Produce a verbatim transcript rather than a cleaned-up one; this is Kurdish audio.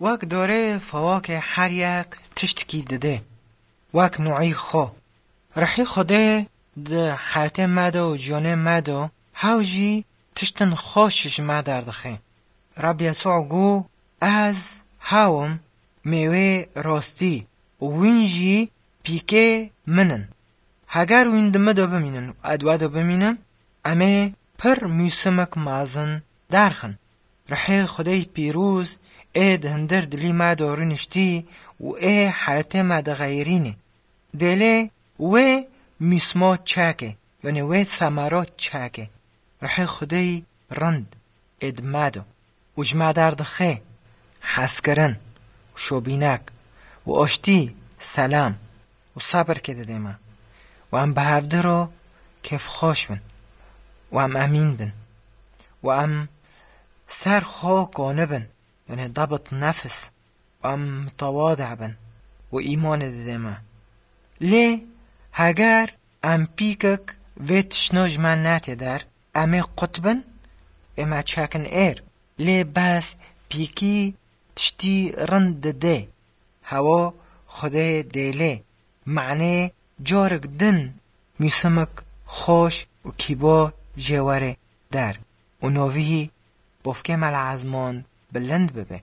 Wek dorê fawakê her yek tiştkî didê. Wek nûî xwe. Rihî Xwedê di heyatê me de û jiyanê me de hew jî tiştin xweş ji me derdixê. Reb Yesû got, "Ez hew im, mêwê rastî û wîn jî pîkê min in. Heger wîn di min de bimînin û ez di we de bimînim, em ê pir mûsimek mezin derxin." Rihê Xwedê pîroz ê di hundir dilî me de rûniştî û ê heyatê me dixeyirînê. Dêlê wê mûsma çekê, yanî wê semera çekê. Rihê Xwedê rind ê di me de û ji me derdixê hezkirin û şobînek û aştî, selam û sebirkê didê me. Û em bi hevdi re kêfxweş bin û em emîn bin û em ser xwe konibin, yanî dabit nefis, û em mitewade bin û îmanê didê me. Lê heger em pîkek vê tiştno ji me netê der, em ê qut bin, ê me çekin êr. Lê bes pîkî tiştî rind didê. Hewa Xwedê dêlê, manê carek din mûsimek xweş û kîbo jê were der û novî bofkê me li ezman bilind bibe.